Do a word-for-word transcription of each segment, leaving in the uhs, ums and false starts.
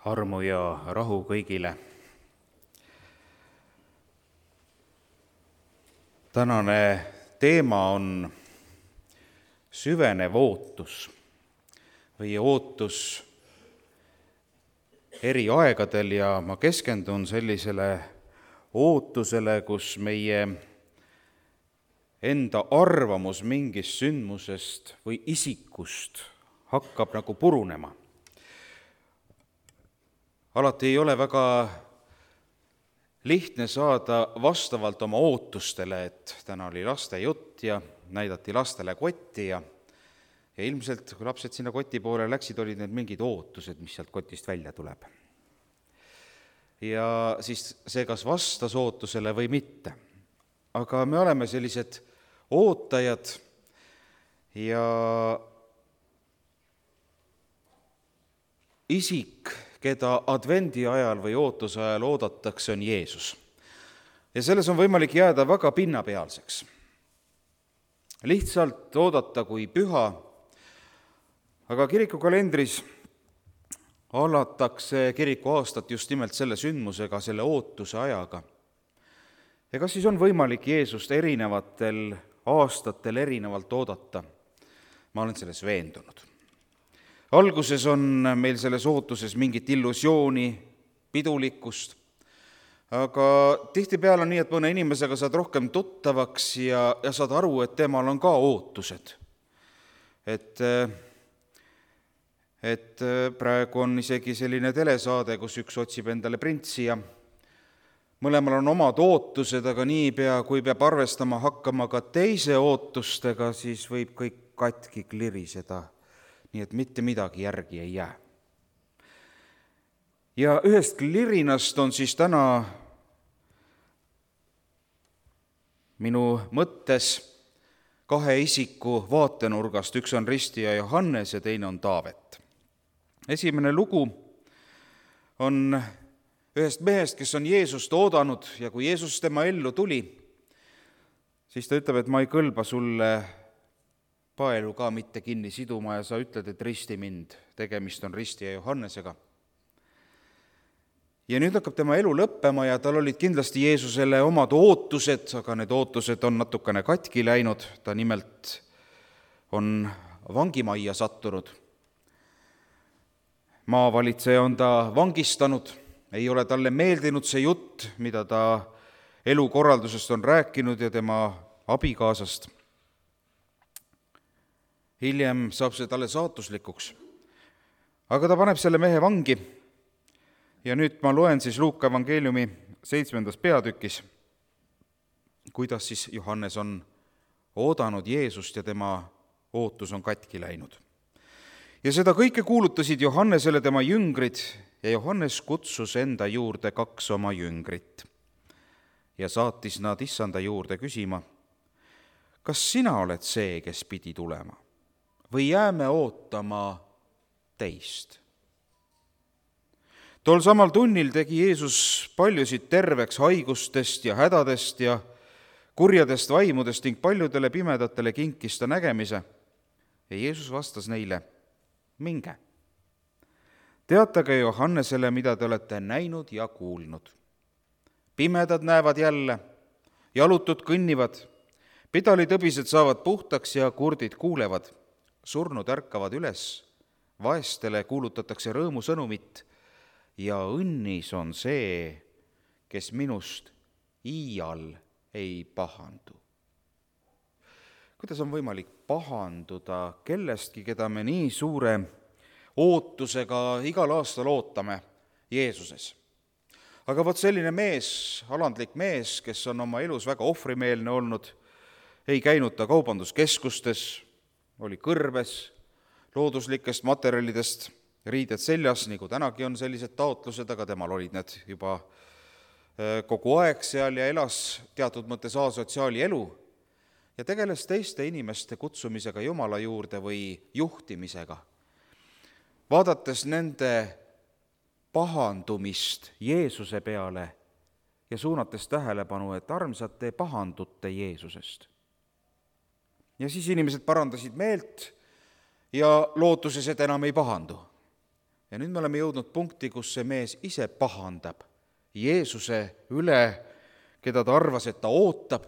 Armu ja rahu kõigile. Tänane teema on süvenev ootus või ootus eri aegadel ja ma keskendun sellisele ootusele, kus meie enda arvamus mingist sündmusest või isikust hakkab nagu purunema. Alati ei ole väga lihtne saada vastavalt oma ootustele, et täna oli laste jutt ja näidati lastele kotti ja, ja ilmselt, kui lapsed sinna koti poole läksid, olid need mingid ootused, mis sealt kotist välja tuleb. Ja siis see kas vastas ootusele või mitte. Aga me oleme sellised ootajad ja isik, keda advendi ajal või ootuse ajal oodatakse, on Jeesus. Ja selles on võimalik jääda väga pinnapealseks. Lihtsalt oodata kui püha, aga kirikukalendris alatakse kiriku aastat just nimelt selle sündmusega, selle ootuse ajaga. Ja kas siis on võimalik Jeesust erinevatel aastatel erinevalt oodata? Ma olen selles veendunud. Alguses on meil selles ootuses mingit illusiooni, pidulikkust, aga tihtipeale on nii, et mõne inimesega saad rohkem tuttavaks ja, ja saad aru, et temal on ka ootused. Et, et praegu on isegi selline telesaade, kus üks otsib endale printsi ja mõlemal on omad ootused, aga niipea, kui peab arvestama hakkama ka teise ootustega, siis võib kõik katki kliriseda. Nii et mitte midagi järgi ei jää. Ja ühest klirinast on siis täna minu mõttes kahe isiku vaatenurgast, üks on ristija Johannes ja teine on Taavet. Esimene lugu on ühest mehest, kes on Jeesust oodanud ja kui Jeesus tema ellu tuli, siis ta ütleb, et ma ei kõlba sulle paelu ka mitte kinni siduma ja sa ütled, et risti mind, tegemist on ristija Johannesega. Ja nüüd hakkab tema elu lõppema ja tal olid kindlasti Jeesusele omad ootused, aga need ootused on natukene katki läinud, ta nimelt on vangimajja sattunud. Maavalitseja on ta vangistanud, ei ole talle meeldinud see jutt, mida ta elukorraldusest on rääkinud ja tema abikaasast. Hiljem saab see talle saatuslikuks. Aga ta paneb selle mehe vangi ja nüüd ma loen siis Luuka evangeeliumi seitsmendas peatükis, kuidas siis Johannes on oodanud Jeesust ja tema ootus on katki läinud. Ja seda kõike kuulutasid Johannesele tema jüngrid ja Johannes kutsus enda juurde kaks oma jüngrit ja saatis nad issanda juurde küsima, kas sina oled see, kes pidi tulema? Või jääme ootama teist? Tol samal tunnil tegi Jeesus paljusid terveks haigustest ja hädadest ja kurjadest vaimudest ning paljudele pimedatele kinkis ta nägemise. Ja Jeesus vastas neile, minge. Teatage Johannesele, mida te olete näinud ja kuulnud. Pimedad näevad jälle, jalutud kõnnivad, pidalitõbised saavad puhtaks ja kurdid kuulevad. Surnud ärkavad üles, vaestele kuulutatakse rõõmusõnumit ja õnnis on see, kes minust iial ei pahandu. Kuidas on võimalik pahanduda kellestki, keda me nii suure ootusega igal aastal ootame Jeesuses? Aga vot selline mees, alandlik mees, kes on oma elus väga ohvrimeelne olnud, ei käinud ta kaubanduskeskustes, oli kõrbes, looduslikest materjalidest riided seljas, nagu tänagi on sellised taotlused, aga temal olid need juba kogu aeg seal ja elas teatud mõttes asotsiaali elu ja tegeles teiste inimeste kutsumisega Jumala juurde või juhtimisega. Vaadates nende pahandumist Jeesuse peale ja suunates tähelepanu, et armsad, te pahandute Jeesusest. Ja siis inimesed parandasid meelt ja lootuses, et enam ei pahandu. Ja nüüd me oleme jõudnud punkti, kus see mees ise pahandab Jeesuse üle, keda ta arvas, et ta ootab,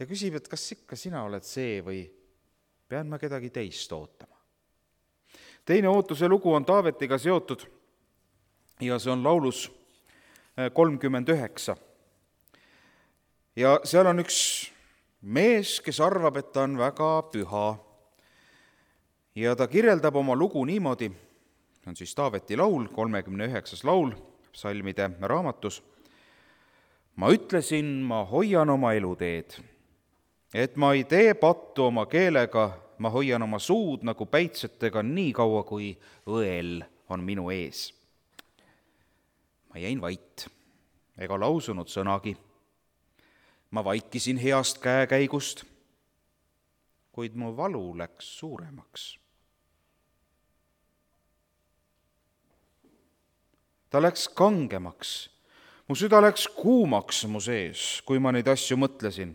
ja küsib, et kas ikka sina oled see või pean ma kedagi teist ootama. Teine ootuse lugu on Taavetiga seotud ja see on laulus kolmkümmend üheksa. Ja seal on üks mees, kes arvab, et ta on väga püha. Ja ta kirjeldab oma lugu niimoodi, see on siis Taaveti laul, kolmekümne üheksas laul, psalmide raamatus. Ma ütlesin, ma hoian oma eluteed, et ma ei tee pattu oma keelega, ma hoian oma suud nagu päitsetega nii kaua, kui õel on minu ees. Ma jäin vait, ega lausunud sõnagi. Ma vaikisin heast käekäigust, kuid mu valu läks suuremaks. Ta läks kangemaks, mu süda läks kuumaks mu sees, kui ma neid asju mõtlesin.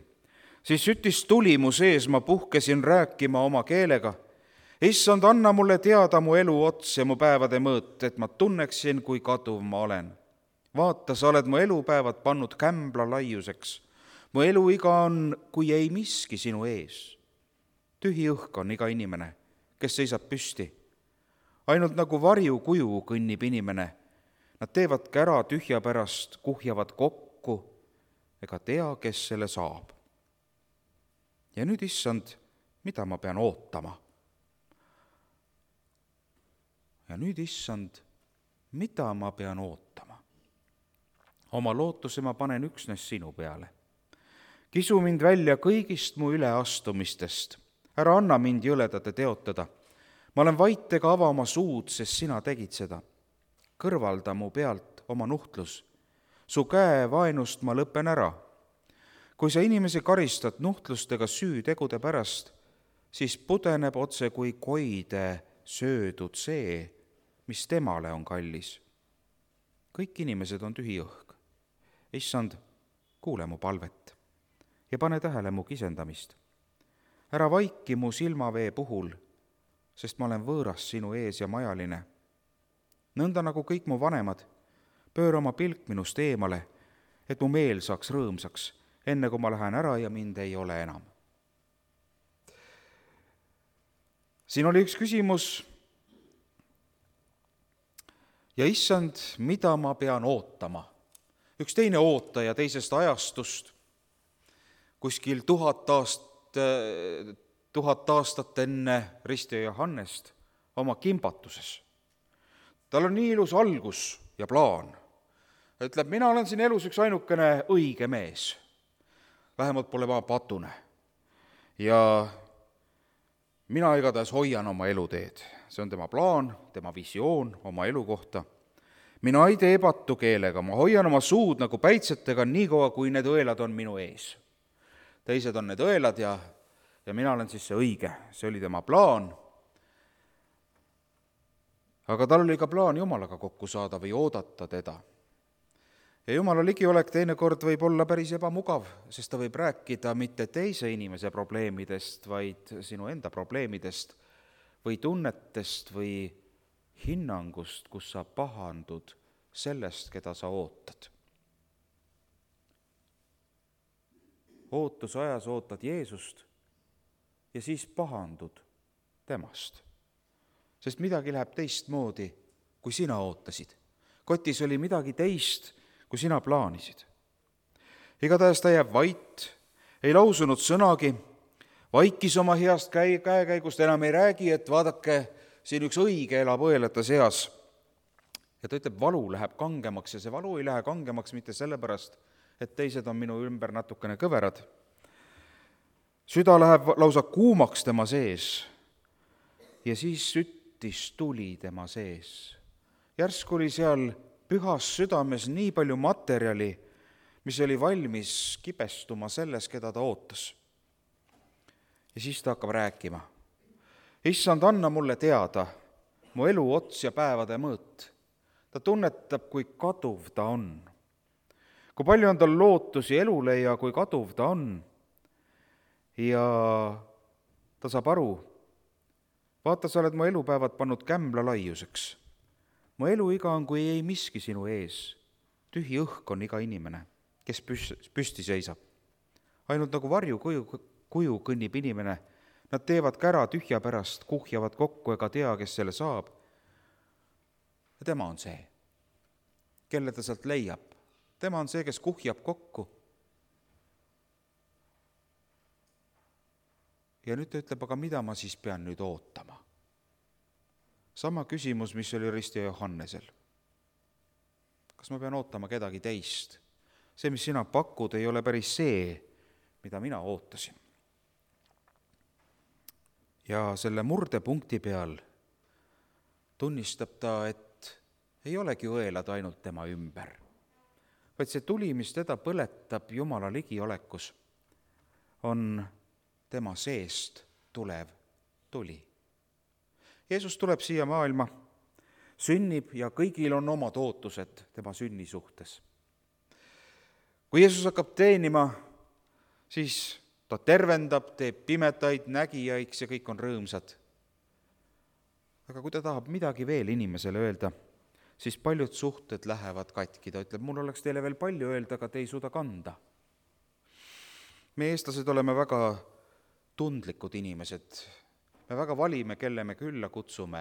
Siis süttis tuli mu sees, ma puhkesin rääkima oma keelega. Issand, anna mulle teada mu elu ots ja mu päevade mõõt, et ma tunneksin, kui kaduv ma olen. Vaata, sa oled mu elupäevad pannud kämbla laiuseks. Mu eluiga on, kui ei miski sinu ees. Tühi õhk on iga inimene, kes seisab püsti. Ainult nagu varju kuju kõnnib inimene. Nad teevad kära tühja pärast, kuhjavad kokku, ega tea, kes selle saab. Ja nüüd, issand, mida ma pean ootama? Ja nüüd, issand, mida ma pean ootama? Oma lootuse ma panen üksnes sinu peale. Kisu mind välja kõigist mu üleastumistest. Ära anna mind jõledate teotada. Ma olen vait ega ava oma suud, sest sina tegid seda. Kõrvalda mu pealt oma nuhtlus. Su käe vaenust ma lõpen ära. Kui sa inimesi karistad nuhtlustega süütegude pärast, siis pudeneb otse kui koide söödud see, mis temale on kallis. Kõik inimesed on tühi õhk. Issand, kuule mu palvet ja pane tähele mu kisendamist. Ära vaiki mu silmavee puhul, sest ma olen võõras sinu ees ja majaline. Nõnda nagu kõik mu vanemad, pööra oma pilk minust eemale, et mu meel saaks rõõmsaks, enne kui ma lähen ära ja mind ei ole enam. Siin oli üks küsimus. Ja issand, mida ma pean ootama? Üks teine ootaja teisest ajastust, kuskil tuhat aastat, tuhat aastat enne Risti ja Johannest oma kimbatuses. Tal on nii ilus algus ja plaan. Ütleb, mina olen siin elus üks ainukene õige mees. Vähemalt pole ma patune. Ja mina igatahes hoian oma eluteed. See on tema plaan, tema visioon oma elu kohta. Mina ei tee pattu keelega, ma hoian oma suud nagu päitsetega nii kaua, kui need õelad on minu ees. Teised on need õelad ja, ja mina olen siis see õige. See oli tema plaan. Aga tal oli ka plaan Jumalaga kokku saada või oodata teda. Ja Jumala ligiolek teinekord võib olla päris ebamugav, sest ta võib rääkida mitte teise inimese probleemidest, vaid sinu enda probleemidest või tunnetest või hinnangust, kus sa pahandud sellest, keda sa ootad. Ootusajas ootad Jeesust ja siis pahandud temast. Sest midagi läheb teistmoodi, kui sina ootasid. Kotis oli midagi teist, kui sina plaanisid. Igatahes ta jääb vait, ei lausunud sõnagi, vaikis oma heast käe, käekäigust, enam ei räägi, et vaadake, siin üks õige elab õelate seas. Ja ta ütleb, valu läheb kangemaks ja see valu ei lähe kangemaks mitte sellepärast, et teised on minu ümber natukene kõverad. Süda läheb lausa kuumaks tema sees ja siis süt tuli tema sees. Järsku oli seal pühas südames nii palju materjali, mis oli valmis kibestuma selles, keda ta ootas. Ja siis ta hakkab rääkima. Issand, anna mulle teada mu elu ots ja päevade mõõt. Ta tunnetab, kui kaduv ta on. Kui palju on tal lootusi elule ja kui kaduv ta on. Ja ta saab aru, vaata, sa oled mu elupäevad pannud kämbla laiuseks. mu eluiga on kui ei miski sinu ees. Tühi õhk on iga inimene, kes püsti seisab. Ainult nagu varju kuju, kuju kõnnib inimene. Nad teevad kära tühja pärast, kuhjavad kokku ega tea, kes selle saab. Ja tema on see, kelle ta sealt leiab. Tema on see, kes kuhjab kokku. Ja nüüd ta ütleb, aga mida ma siis pean nüüd ootama? Sama küsimus, mis oli Risti ja Johannesel. Kas ma pean ootama kedagi teist? See, mis sina pakud, ei ole päris see, mida mina ootasin. Ja selle murdepunkti peal tunnistab ta, et ei olegi õelad ainult tema ümber, vaid see tuli, mis teda põletab Jumala ligiolekus, on tema seest tulev tuli. Jeesus tuleb siia maailma, sünnib ja kõigil on omad ootused tema sünni suhtes. Kui Jeesus hakkab teenima, siis ta tervendab, teeb pimedaid nägijaiks ja kõik on rõõmsad. Aga kui ta tahab midagi veel inimesele öelda, siis paljud suhted lähevad katki. Ta ütleb, mul oleks teile veel palju öelda, aga te ei suuda kanda. Me eestlased oleme väga tundlikud inimesed. Me väga valime, kelle me külla kutsume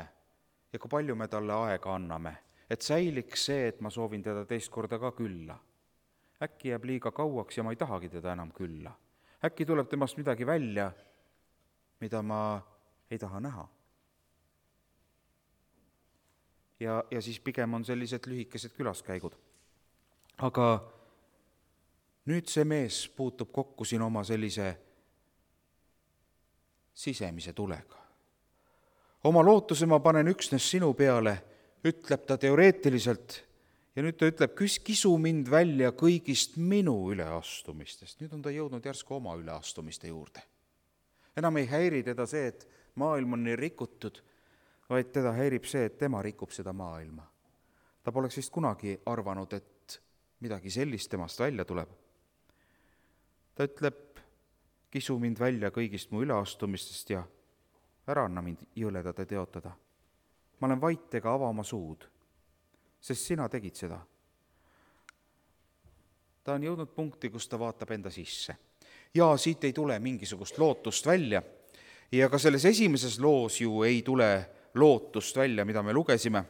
ja kui palju me talle aega anname, et säiliks see, et ma soovin teda teist korda ka külla. Äkki jääb liiga kauaks ja ma ei tahagi teda enam külla. Äkki tuleb temast midagi välja, mida ma ei taha näha. Ja, ja siis pigem on sellised lühikesed külaskäigud. Aga nüüd see mees puutub kokku siin oma sellise sisemise tulega. Oma lootuse ma panen üksnes sinu peale, ütleb ta teoreetiliselt, ja nüüd ta ütleb, kisu mind välja kõigist minu üleastumistest. Nüüd on ta jõudnud järsku oma üleastumiste juurde. Enam ei häiri teda see, et maailm on nii rikutud, vaid teda häirib see, et tema rikub seda maailma. Ta poleks vist kunagi arvanud, et midagi sellist temast välja tuleb. Ta ütleb, kisu mind välja kõigist mu üleastumistest ja ära anna mind jõledada teotada. Ma olen vait ega ava oma suud, sest sina tegid seda. Ta on jõudnud punkti, kus ta vaatab enda sisse. Ja siit ei tule mingisugust lootust välja. Ja ka selles esimeses loos ju ei tule lootust välja, mida me lugesime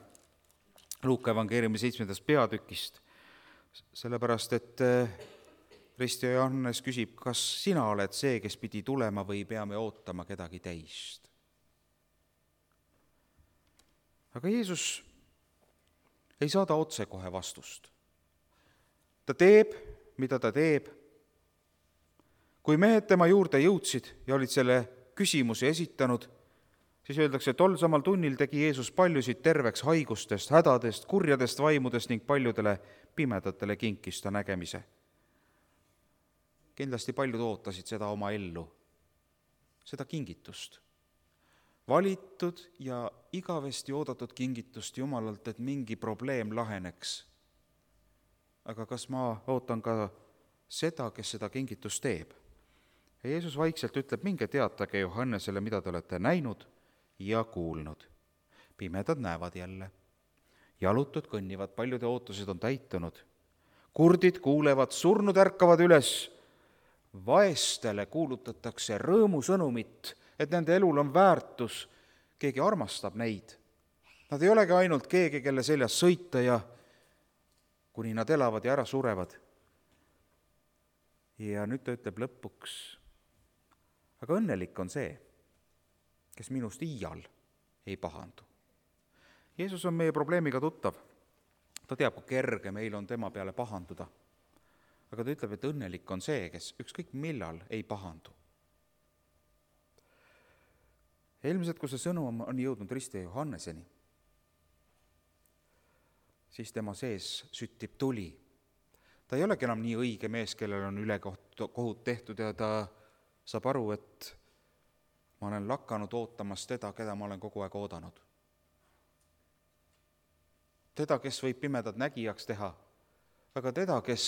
Luuka evangeeriumi seitsmendast peatükist. Sellepärast, et Risti ja Johannes küsib, kas sina oled see, kes pidi tulema või peame ootama kedagi teist. Aga Jeesus ei saada otse kohe vastust. Ta teeb, mida ta teeb. Kui mehed tema juurde jõudsid ja olid selle küsimuse esitanud, siis öeldakse, et tol samal tunnil tegi Jeesus paljusid terveks haigustest, hädadest, kurjadest vaimudest ning paljudele pimedatele kinkis ta nägemise. Kindlasti paljud ootasid seda oma ellu, seda kingitust. Valitud ja igavesti oodatud kingitust Jumalalt, et mingi probleem laheneks. Aga kas ma ootan ka seda, kes seda kingitust teeb? Ja Jeesus vaikselt ütleb, minge teatage Johannesele, mida te olete näinud ja kuulnud. Pimedad näevad jälle, jalutud kõnnivad, paljude ootused on täitunud. Kurdid kuulevad, surnud ärkavad üles, vaestele kuulutatakse rõõmusõnumit, et nende elul on väärtus, keegi armastab neid. Nad ei olegi ainult keegi, kelle seljas sõita ja kuni nad elavad ja ära surevad. Ja nüüd ta ütleb lõpuks, aga õnnelik on see, kes minust iial ei pahandu. Jeesus on meie probleemiga tuttav. Ta teab, kui kerge meil on tema peale pahanduda. Aga ta ütleb, et õnnelik on see, kes ükskõik millal ei pahandu. Ilmselt, kui see sõnum on jõudnud Risti ja Johanneseni, siis tema sees süttib tuli. Ta ei olegi enam nii õige mees, kellel on ülekohut tehtud ja ta saab aru, et ma olen lakanud ootamas teda, keda ma olen kogu aeg oodanud. Teda, kes võib pimedad nägijaks teha, aga teda, kes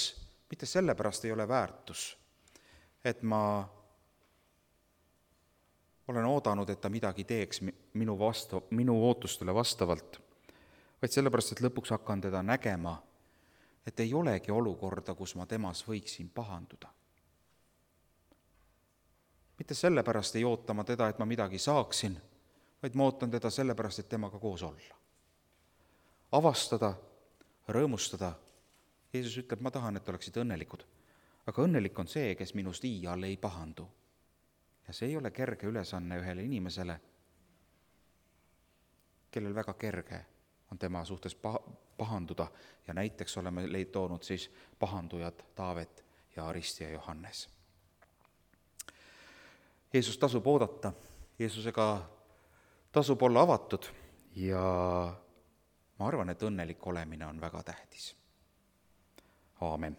mitte sellepärast ei ole väärtus, et ma olen oodanud, et ta midagi teeks minu, vastu, minu ootustele vastavalt, vaid sellepärast, et lõpuks hakkan teda nägema, et ei olegi olukorda, kus ma temas võiksin pahanduda. Mitte sellepärast ei oota ma teda, et ma midagi saaksin, vaid ma ootan teda sellepärast, et temaga koos olla. Avastada, rõõmustada. Jeesus ütleb, ma tahan, et oleksid õnnelikud. Aga õnnelik on see, kes minust iial ei pahandu. Ja see ei ole kerge ülesanne ühele inimesele, kellel väga kerge on tema suhtes pahanduda ja näiteks oleme leid toonud siis pahandujad Taavet ja Aristi ja Johannes. Jeesus tasub oodata, Jeesusega tasub olla avatud ja ma arvan, et õnnelik olemine on väga tähtis. Aamen.